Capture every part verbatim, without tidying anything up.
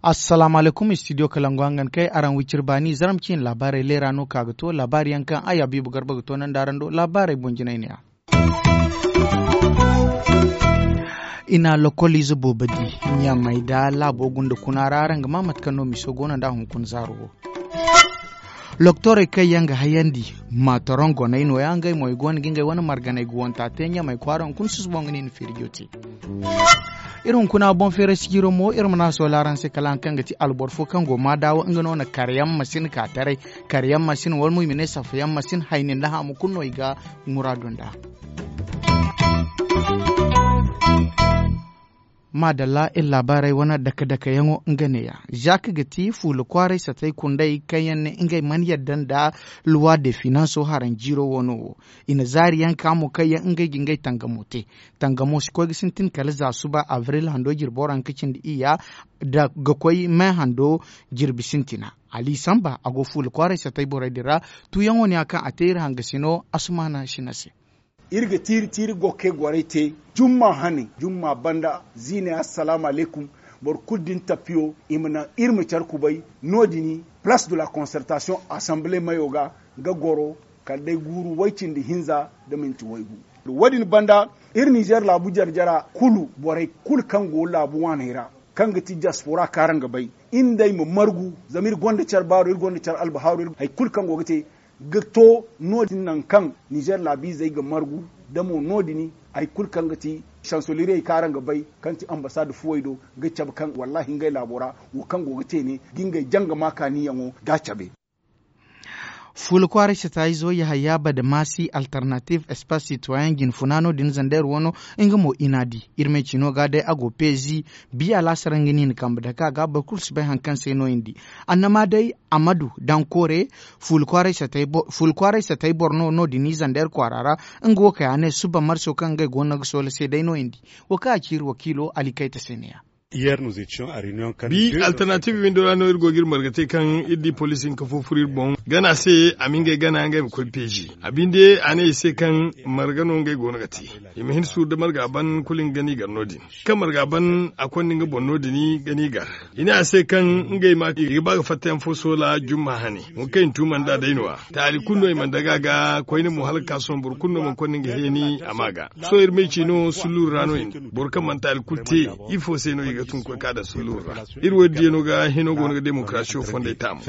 Assalaamu alaykum, studio kalangu hangan kay araŋ wiciri baani zaram ciine laabaarey leera no ka ga to laabaari yaŋ kaŋ ay habiibu garba ga to nandi araŋ do laabaarey boŋ jinay ne ya. I na lokoliize boobo di ɲamay da laabo gunda kuna ra araŋ ga ma mate kaŋ no miso go no nda hunkuna zaaro wo. Loktorey kaŋ yaŋ ga hayandi maataroŋ goney no- ya ngey mo i go no ga ngey wane marganey ga wanta te ɲamay kwaara hunkuna susubo nga no i na feerijo te. Iri hunkuna boŋ feeray sijiro mo iri mana a soola araŋ se kala hari kaŋ ga ti alboro fo kaŋ go maadaawa nga no na kar yaŋ masin ka taray. Kar yaŋ masin wala mo i ma ne safa yaŋ masin hayni nda haamu kulu no i ga muraadu nd'a. Maadalla iri laabaarey wane dake dake yaŋo nga neeya. Zak ga ti fuula kwaaray satey kunday kaŋ yaŋ ne ngey mana yadda nda luwa de finanso haraŋ jiiro wano wo. I na zaari yaŋ ka mo kaŋ yaŋ ngey ga ngey tangamo te. Tangamo si koy ga sintin kala za suba abril hando jirbo ra nga cindi iyya, nda ga koy me hando jirbi sintina. Ali samba a go fuula kwaaray satey borey din ra. Tuuyaŋo ne ya kaŋ a te iri hangasino asumaana sina se. Iri ga tiiri tiiri gokke gorey te jumma hane jumma banda ziiney assalaamu alaykum. Boro kulu din tapiyo i ma naŋ iri ma care kubay. No- din place de la concertation assemblee mayo ga ga goro kala day guuru way- cindi hinza nda minti waygu. Wo- din banda iri nizer laabu jare jara kulu borey kulu kaŋ go laabu waaney ra kaŋ ga ti diaspora kaŋ araŋ ga bay iri nd'ey ma margu. Zama iri gonda care baaro iri gonda care albahaaru hari kulu kaŋ go ga te ga to no- din nangu kaŋ nizer laabiizey ga margu. Da mo no- din hari kulu kaŋ ga ti sansoliriyey kaŋ araŋ ga bay kaŋ ti ambasaada fuwey do ga cabe kaŋ wallaahi ngey laabo ra wo kaŋ go ga te ne ga ngey janga maakaaniyaŋo ga a cabe. Fuula kwaaray sata izo yahaya badamaasi alternatiiv espaas sitoyen jine funa no- din zander wano. Nga mo i n'a di iri me ciino ga day a go peezi biya laasara nga no i na kambe dake a ga boro kulu si bay hari kaŋ se no i na di. Annama day amadu dankoore fuula kwaaray satay boro no no- din i zander kwaara ra. Nga wo kay a ne suba marso kaŋ ngey go no ga soola se day no i na di. Wo kaŋ a ci iri wakiilo ali kayta se ne- ya. Bi alternatiiv windo ra no iri go ga iri marga te kaŋ iri di poliisi hinka fo furo iri boŋ gana se a ma ngey gana ngey ma koy peezi. A binde a ne i se kaŋ marga no ngey go no ga te. I ma hin suuru nda marga ban kulu nga gana i gar no- din kaŋ marga ban a konda nga boŋ no- din gana i gar. I ne a se kaŋ ngey ma i ga ba ga fatta yaŋ fo soola jumma hane. Wo kaŋ i na tuuma nd'a day no- ya taali kulu no i mana daga a ga koyne mo hala ga ka sohõ boro kulu no mana konda nga heeni a ma ga. Sohõ iri ma ay ci no sulluuru ra no i na boro kaŋ mana taali kulu te. Ifo se no i ga tun ga koy ka daŋ sulluuru ra? Iri wo- din diya no ga hino go no ga demokarasiyo fondey taamu.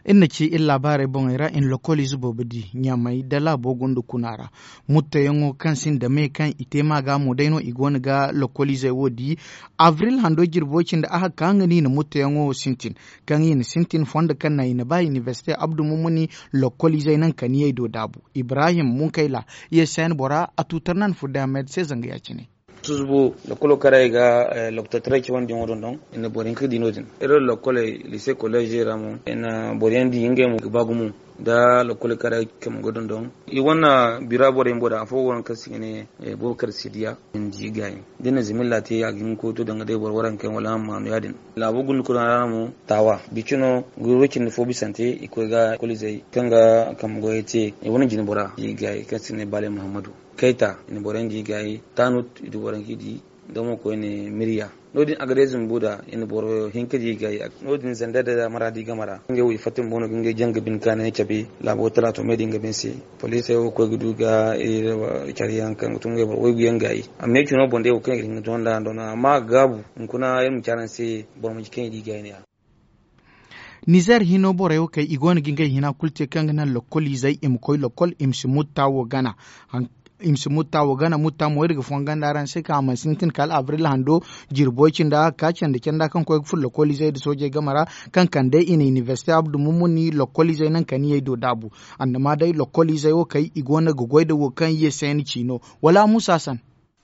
Iri na ci iri laabaarey boŋey ra i na lokoliize boobo di ɲamay nda laabo gunda kuna ra. Muttoyaŋo kaŋ sinda me kaŋ i te ma ga mo day no i go no ga lokoliizey wo di. Abril hando jirbo cindi a ga ka nga no i na muttoyaŋo wo sintin kaŋ i na sintin fondo kaŋ naŋ i na ba inibersite abdu mumuni lokoliizey naŋ kaniyey do daabu. Ibrahim munkayla, yesen bora a tuutar nan furday ahmed se zanga ya- cine. Susubo lokolo karay ga loktotaray cawandi yaŋo dondon i na boro hinka di no- din. Iri lokkoley lise kolleezey ra mo i na boro yaŋ di ngey mo ga ba gumo. Nda lokole karay kaŋ go dondon i wane bira borey bumbo da afo go no kaŋ se i ga ne boro kar sidiya. Ni di gaayi da ni na zimilla te a ga hin ga koy to danga day boro waranka yaŋ wala a ma maanu ya- din. Laabo gunda kuna ra no mo taawa bicino guru cindi fo bisante i koy ga kolizey kaŋ ga kambe goyey te i wane jine bora i gaayi kaŋ se i ga ne baale muhammadu kayta i na boro yaŋ di gaayi taanut i du boro yaŋ kaŋ i di. Nda mo koyne mirya no- din a ga day zumbu da i na boro hinka di gaayi. No- din zandar day da mara di game ra ngey wo i fatta bumbo no ga ngey jaŋ ga bine kaanay cabe. Laabo talaato me din ga bine se poliisey wo ga koy ga du ga care yaŋ kaŋ ga tun ngey boro waygu yaŋ gaayi. Amma i cino boŋ day wo kaŋ i ga hin ga to nd'a ndona amma a ga gaabu hunkuna iri ma ci araŋ se boro manci kaŋ i di gaayi no- ya. Nizer hino borey wo kay i go no ga ngey hina kulu te kaŋ ga naŋ lokoliizey i ma koy lokol i ma si mutta wo gana. I ma si mutta wo gana mutta mo iri ga fonga nda araŋ se kaŋ a mana sintin kala abril hando jirbo cindi a ga ka candi canda kaŋ koy ga furo lokoliizey nda soojey game ra kaŋ kande i na inibersite abdu mumuni lokoliizey naŋ kaniyey do daabu. Annama day lokoliizey wo kay i go no ga goy nda wo kaŋ ye se ni ci no wala musa san.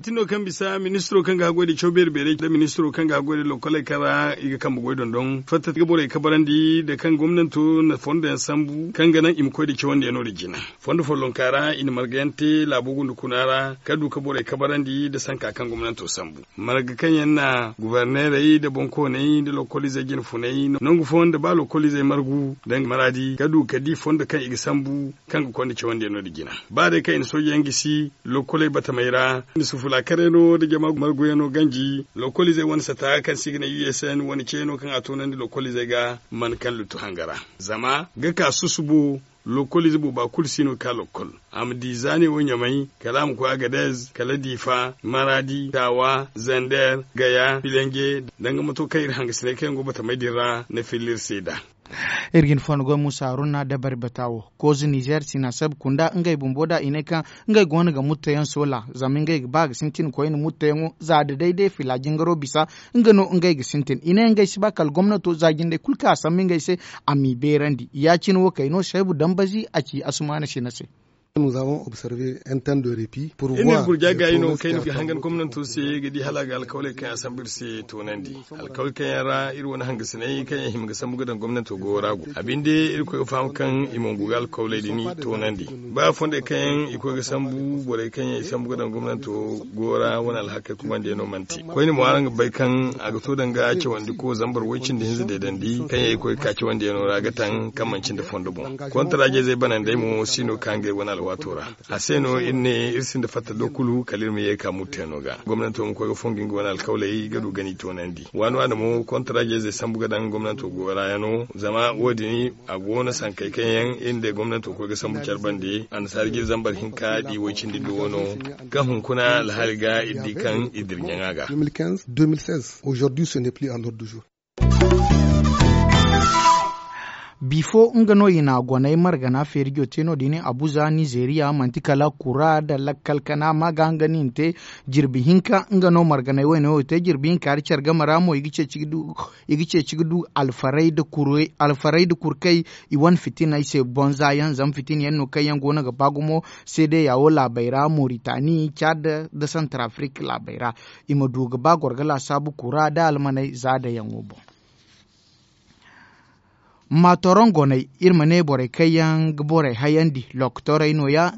Tino kaŋ bisa ministiro kaŋ ga haggoy da caw beeri beeray nda ministiro kaŋ ga haggoy da lokoley kaŋ ra i ga kambe goy dondon fatta ga borey kabarandi nda kaŋ gomnanto na fondo yaŋ sambu kaŋ ga naŋ i ma koy da cawandi yaŋ no da jina. Fondo follonka ra i na marga yaŋ te laabo gunda kuna ra ka du ka borey kabarandi nda sanka kaŋ gomnanto sambu. Marga kaŋ yaŋ na gubarneerey nda boŋkooney nda lokoliizey jine funay nangu fooyaŋ nda ba lokoliizey margu danga maraadi ka du ka di fondo kaŋ i ga sambu kaŋ ga konda cawandi yaŋ no da jina. Ba day kaŋ i na sooje yaŋ gisi lokoley batamey ra nda sufula karayno nda jama marguyaŋo ganji lokoliizey wane sata kaŋ se i ga ne u s n wane ceyano kaŋ a toonandi lokoliizey ga mana kaŋ luttu hanga ra. Zama ga ka susubo lokoliize booba kulu si no ga ka lokol. A ma di zaane wo ɲamay kala a ma koy agadez kala diifa maraadi taawa zander gaya filenje danga mato kaŋ iri hangasiney kaŋ yaŋ go batamey din ra na filla iri se nd'a. Iri ga hin fondo goy muusa haruna dabari bata wo kooze nizer sinaseb kunda ngey bumbo da i ne kaŋ ngey go no ga mutto yaŋ soola zama ngey ga ba ga sintin koyne mutto yaŋo za da day day fila jingaro bisa nga no ngey ga sintin i ne ngey si ba kala gomnato za jindey kulu kaŋ a sambu ngey se a m'i beerandi ya- cine wo kay no seebu dambazi a ci asumaana sina se. Iri na gurja gaayi no kaŋ iri ga hangan gomnanto se ga di hala a ga alkawley kaŋ a sambu iri se toonandi. Alkawley kaŋ yaŋ ra iri wane hangasiney kaŋ yaŋ hima ga sambu ga daŋ gomnanto goyo ra go a binde irkoy ga faham kaŋ i mana go ga alkawley din toonandi. Ba fondey kaŋ yaŋ i koy ga sambu borey kaŋ yaŋ i sambu ga daŋ gomnanto goyo ra wane alhakey kumandiyaŋo mana te koyne mo araŋ ga bay kaŋ a ga to danga cawandiko zambar way cindi hinza deedandi kaŋ yaŋ i koy ga ka cawandiyano ra ga taŋ kaŋ manci nda fondo boŋ. Kontarajizey banandey mo si no ka ngey wane alwaato ra. A se no iri ne iri sinda fatta do kulu kala iri ma ye ga ka murtayano ga gomnanto ma koy ga fongu nga wane alkawley ga du ga ni toonandi waani waani mo kontarajizey sambu ga daŋ gomnanto goyo ra yaŋo zama wo- din a go no sankey kaŋ yaŋ iri nda gomnanto koy ga sambu care bande annasaara jiri zambar hinka di way cindi nda wano kaŋ hunkuna alhaali ga iri di kaŋ iri dira ɲaŋa ga. Aujourd'hui ce n'est plus en ordre du jour. Bifo nga no i na goney margana feerijo te no- din abuza nizeeriya manti kala kura nda lakkal kana ma ga nga no i na te. Jirbi hinka nga no marganey wayne wo te jirbi hinka hari care game ra mo i ga ceeci ga du i ga ceeci ga du alfarey nda kurkey i wane fitiney se boŋ za yaŋ zama fitina yaŋ no kaŋ yaŋ go no ga ba gumo seedeya wo laabey ra moritani cad nda santarafrik laabey ra. I ma du ga ba goro ga laasaabu kura nda almaney za dayaŋo boŋ. Maatorongoney iri ma ne borey kaŋ yaŋ ga borey hayandi lokotorey no- ya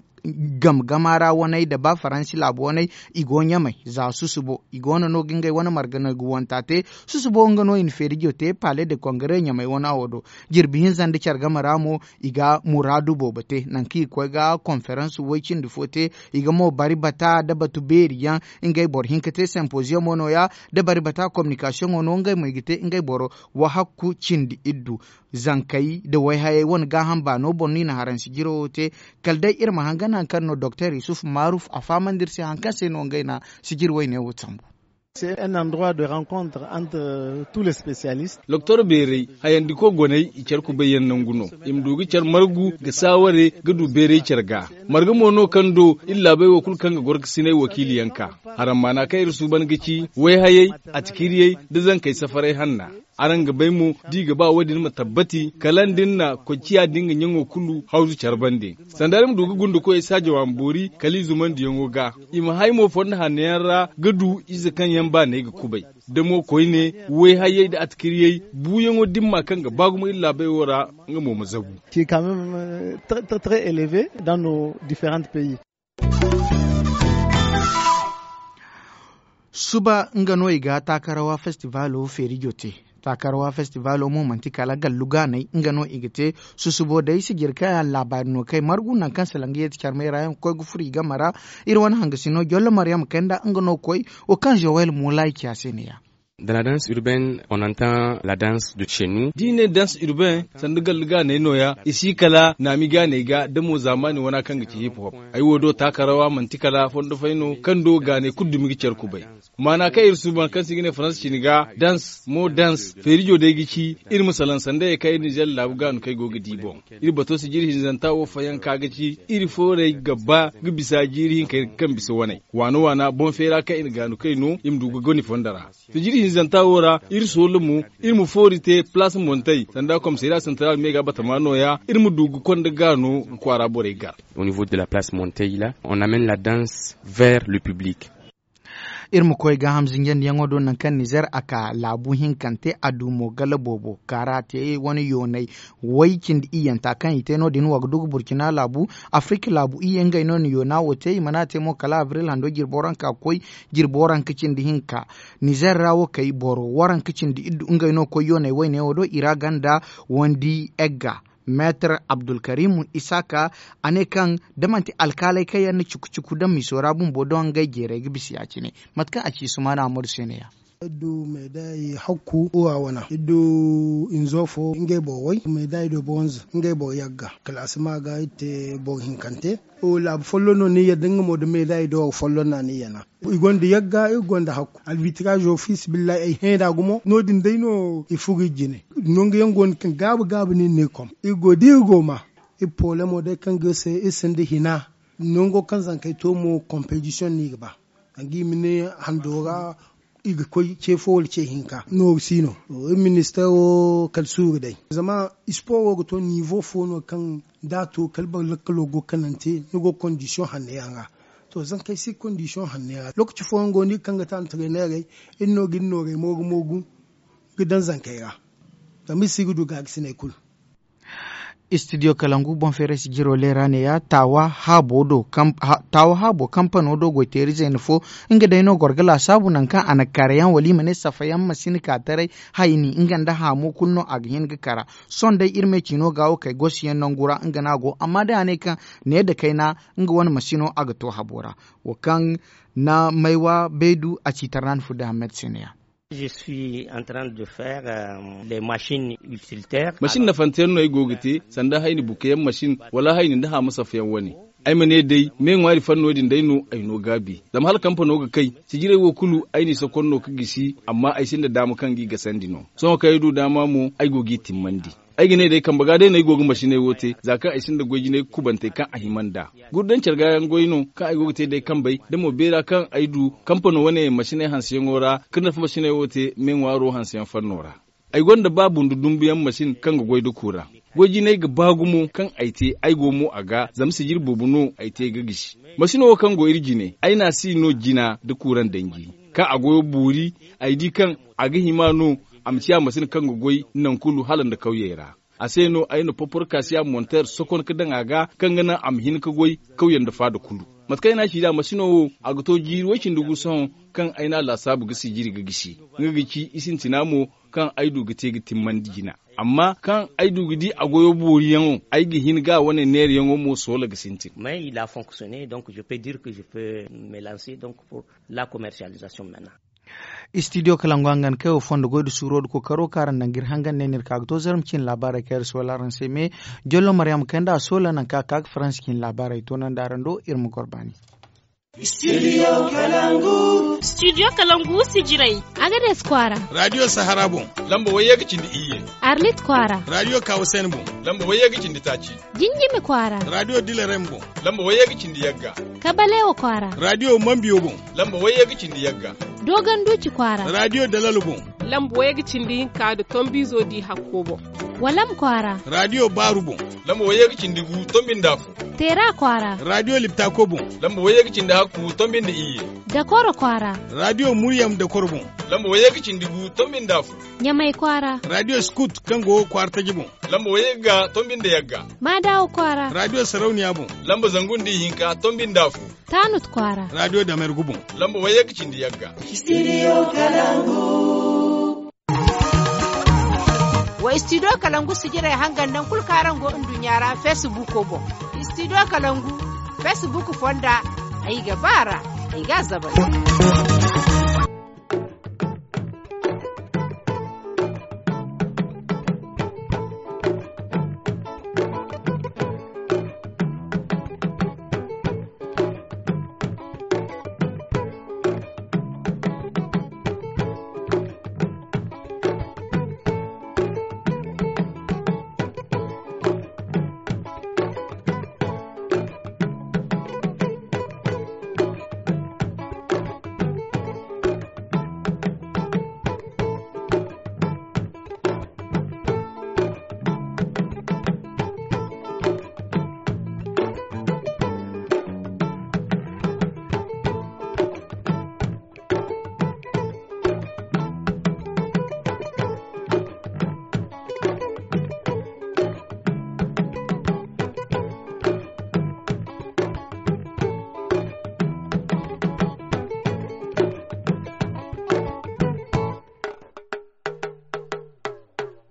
game gama ra waney nda ba faransi laabu waney i go ɲamey za susubo i go no no ga ngey wane marga no ga wanta te. Susubo nga no i na feerijo te pale de kongare ɲamey wana wo do. Jirbi hinza nda care game ra mo i ga muraadu boobo te nangu kaŋ i ga koy ga konferans way cindi fo te. I ga mo bari bata nda batu beeri yaŋ ngey boro hinka te simpoziyomo no- ya nda bari bata kominikasiyoŋo no ngey mo i ga te ngey boro wahakku cindi iddu. Zankey nda wayhayey wane gaaham baano boŋ no i na haransi jiro wo te. Kala day iri ma hangan hari kaŋ no doktor yusuf maruf a fahamandi iri se hari kaŋ se no ngey na sijiri wayne wo sambu. Doktor beerey hayandiko goney i care kubay yaŋ nangu no. I ma du ga care margu ga saaware ga du beerey care ga marga mo no kaŋ do iri laabey wo kulu kaŋ ga goro ga sinay wakiili yaŋ ka. Harammaana kaŋ iri suuban ga ci wayhayey atikiriyey nda zankey safaray hanna. Araŋ ga bay mo da i ga ba wo- din ma tabbati kala nda ni na koy ciya din ga ɲaŋo kulu hawzu care bande. Sanda ni ma du ga gunda koy ay saajawa ma boori kala i zumandiyaŋo ga. I ma hay mo fondo hanno yaŋ ra ga du ize kaŋ yaŋ baanay ga kubay. Da mo koyne wayhayey nda atikiriyey buuyaŋo dimma kaŋ ga ba gumo iri laabey wo ra nga mo ma zabu. Suba nga no i ga taakarawa festivalo feerijo te. Taakarawa festivalo mo manti kala gallu gaanay nga no i ga te. Susubo day sijiri kaŋ yaŋ laabaari no kay margu nangu kaŋ salangu yeeti carmay ra yaŋ ga koy ga furo i game ra. Iri wane hangasino jollo maryam kay nda nga no koy wo kaŋ zowel moolay ci a se ne ya. Dans la danse urbaine on entend la danse de chez nous. Da i ne danse urbain sanda gallu gaanay no- ya i si kala naami gaanay ga da mo zaamaani wana kaŋ ga ci hip hop. Ay wo do taakarawa manti kala fondo fay no kaŋ do gaanay kulu dumi ga care kubay. Maana kaŋ iri suuban kaŋ se i ga ne faransa cine ga danse mo danse feerijo day ga ci. Iri ma salaŋ sanda ye kaŋ iri nizer laabu gaanu kaŋ ay go ga di boŋ. Iri bato sijiri hinzanta wo fayanka ga ci iri fooray ga ba ga bisa jiiri hinkey kaŋ bisa waney waana waana boŋ feera kaŋ i na gaanu kay no i ma du ga goni fondo ra. Sijiri hinzanta wo ra iri soola mo iri ma foori te palaas montey sanda komisariya santaral me ga batama nooya iri ma du ga konda gaano ga kwaara borey gar. Au niveau de la place montey la on amène la danse vers le public. Iri ma koy gaaham zinjandiyaŋo do nangu kaŋ nizer a ka laabu hinkante a du mo gala boobo kaara te wane yoonay way cindi iyyanta kaŋ i te no- din wa ga du ga burcina laabu, afirika laabu iyye ngey no na yoona wo te i mana te mo kala abril hando jirbo ranka ga koy jirbo ranka cindi hinka. Nizer ra wo kay boro waranka cindi iddu ngey no koy yoonay wayne wo do i ra ganda wandi egga. Meetar abdulkarim isaaka a ne kaŋ da manti alkaaley kaŋ yaŋ na cuku cuku daŋ miso ra bumbo doŋ ngey jeeray ga bisa ya- cine. Mate kaŋ a ci sumaana amadu se ne- ya. Iri du meeday hakku uwa wana iri du hinzo fo ngey boro way meeday do boro hinza ngey boro yagga kala a si ma ga iri te boro hinkante. Laabu folloŋ no ni yadda nga mo nda meeday do folloŋ no a ni yana. I gonda yagga iri gonda hakku albitiraazo fiisabilillahi ay hẽe nd'a gumo no- din day no i furo iri jine. Nangu yaŋ go no kaŋ gaabu gaabu no iri ne kom iri go da iri go ma iri poolemo day kaŋ ga iri se iri sinda hina. Nango kaŋ zankey to mo kompetisiyoŋ no i ga ba. Danga i ma ne hando ra i ga koy ce fo wala ce hinka nooru si no. Iri ministeero kala suuru day zama isporo ga to niivo fo no kaŋ da a to kala boro lakkalo go kanante ni go kondisiyoŋ hanno yaŋ ra. To zankey si kondisiyoŋ hanno yaŋ ra lookaci fooyaŋ go no iri kaŋ ga te antareeneerey iri no ga iri noorey moogu moogu ga daŋ zankey ra. Zama iri si ga du gaarisiney kulu. Istidiyo kalangu boŋ feeray si jiro leera ne- ya taawa haabo kampano do goyteeri zeena fo. Nga day no goro ga laasaabu nangu kaŋ a na karayaŋ wala i ma ne safayaŋ ma si na ka taray. Hayni nga nda haamo kulu no a ga hin ga kara. Sohõ day iri me ciino ga wo kay gosi yaŋ nangu ra nga no a go amma day a ne kaŋ ne nda kayna nga wane masino a ga to habo ra. Wo kaŋ na maywa baydu a ci tarnan fudda hammed se ne- ya. Masin nafante yaŋ no ay go ga te sanda hayni buka yaŋ masin wala hayni nda haama safa yaŋ wane. Ay ma ne day me ŋwaari fanno din day no ay no gaabi zama hala kampano ga kay. Sijiray wo kulu ay n'i sokon no ga gisi amma ay sinda daama kaŋ g'i gasandi no. Sohõ kaŋ ay du daama mo ay go g'i timmandi. Ay ga ne day kambe ga day no ay go ga masiney wo te za kaŋ ay sinda goy jinay kubantey kaŋ a hima nd'a. Gurdaŋ care ga yaŋ goy no kaŋ ay go ga te day kambey da mo beera kaŋ ay du kampano wane masiney hanseyaŋo ra. Kaŋ nafa masiney wo te me ŋwaaro hanseyaŋ fanno ra. Ay gonda ba bundu dumbuyaŋ masin kaŋ ga goy da kuura. Goy jinay ga ba gumo kaŋ ay te ay go mo a ga zama sijiri boobo no ay te ga gisi. Masino wo kaŋ go iri jine ay n'a si no jina da kuuraŋ danji. Kaŋ a goyo boori ay di kaŋ a ga hima no a ma ciya masin kaŋ ga goy naŋ kulu hala nda kawyey ra. A se no ay na poporkasiya monter sokon ga daŋ a ga kaŋ ga naŋ a ma hin ga goy kawyaŋ nda faada kulu. Mate kaŋ ay n'a ci nd'a masino wo a ga to jiiri way-cindi gu sohõ kaŋ ay n'a laasaabu ga sijiri ga gisi. Nga ga ci i sintina mo kaŋ ay du ga te ga timmandi jina. Amma kaŋ ay du ga di a goyo booriyaŋo ay ga hin ga a wane neerayaŋo mo soola ga sintin. Mais il a fonctionner donc je peux dire que je peux me lancer donc pour la commercialisation maintenant. Istidiyo kalangu hangan kaŋ ay wo fondo goy nda suuro nda kookaro kaŋ araŋ naŋ ga iri hangan ne no iri ka ga to zarma ciine laabaarey kaŋ iri soola araŋ se me. Jollo maryama kay nda a soola nangu kaŋ a ka ga faransi ciine laabaarey toonandi araŋ do iri ma goro baani. Studio kalangu. Studio kalangu sijirey. Agades kwaara. Radio sahara boŋ. Lamba wayye ga cindi iyye. Arlit kwaara. Radio kawasen boŋ. Lamba wayye ga cindi taaci. Jinjimi kwaara. Radio dilarem boŋ. Lamba wayye ga cindi yagga. Kabalewa kwaara. Radio mambiyo boŋ. Lamba wayye ga cindi yagga. Dogon duci kwaara. Radio dalalo boŋ. Lamba wayye ga cindi hinka nda tombizo di hakko boŋ. Walam kwaara. Radio baaru boŋ. Lamba wayye ga cindi gu tombi nda afo. Teera kwaara. Radio liptako boŋ. Lamba wayye ga cindi hakku tombi nda iyye. Dakoro kwaara. Radio muryam dakoro boŋ. Lamba wayye ga cindi gu tombi nda afo. Ɲamay kwaara. Radio scout kaŋ go kwaara taji boŋ. Lamba wayye ga tombi nda yagga. Maadawa kwaara. Radio sarauniya boŋ. Lamba zangu nda ihinka tombi nda afo. Tanut kwaara. Radio damergu boŋ. Lamba wayye ga cindi yagga. Studio kalangu. Wa studio kalangu sijirey hangan naŋ kulu kaŋ araŋ go nduɲɲa ra facebook boŋ. Studio kalangu facebook fonda. Ay ga ba ra. Ay ga a zabay.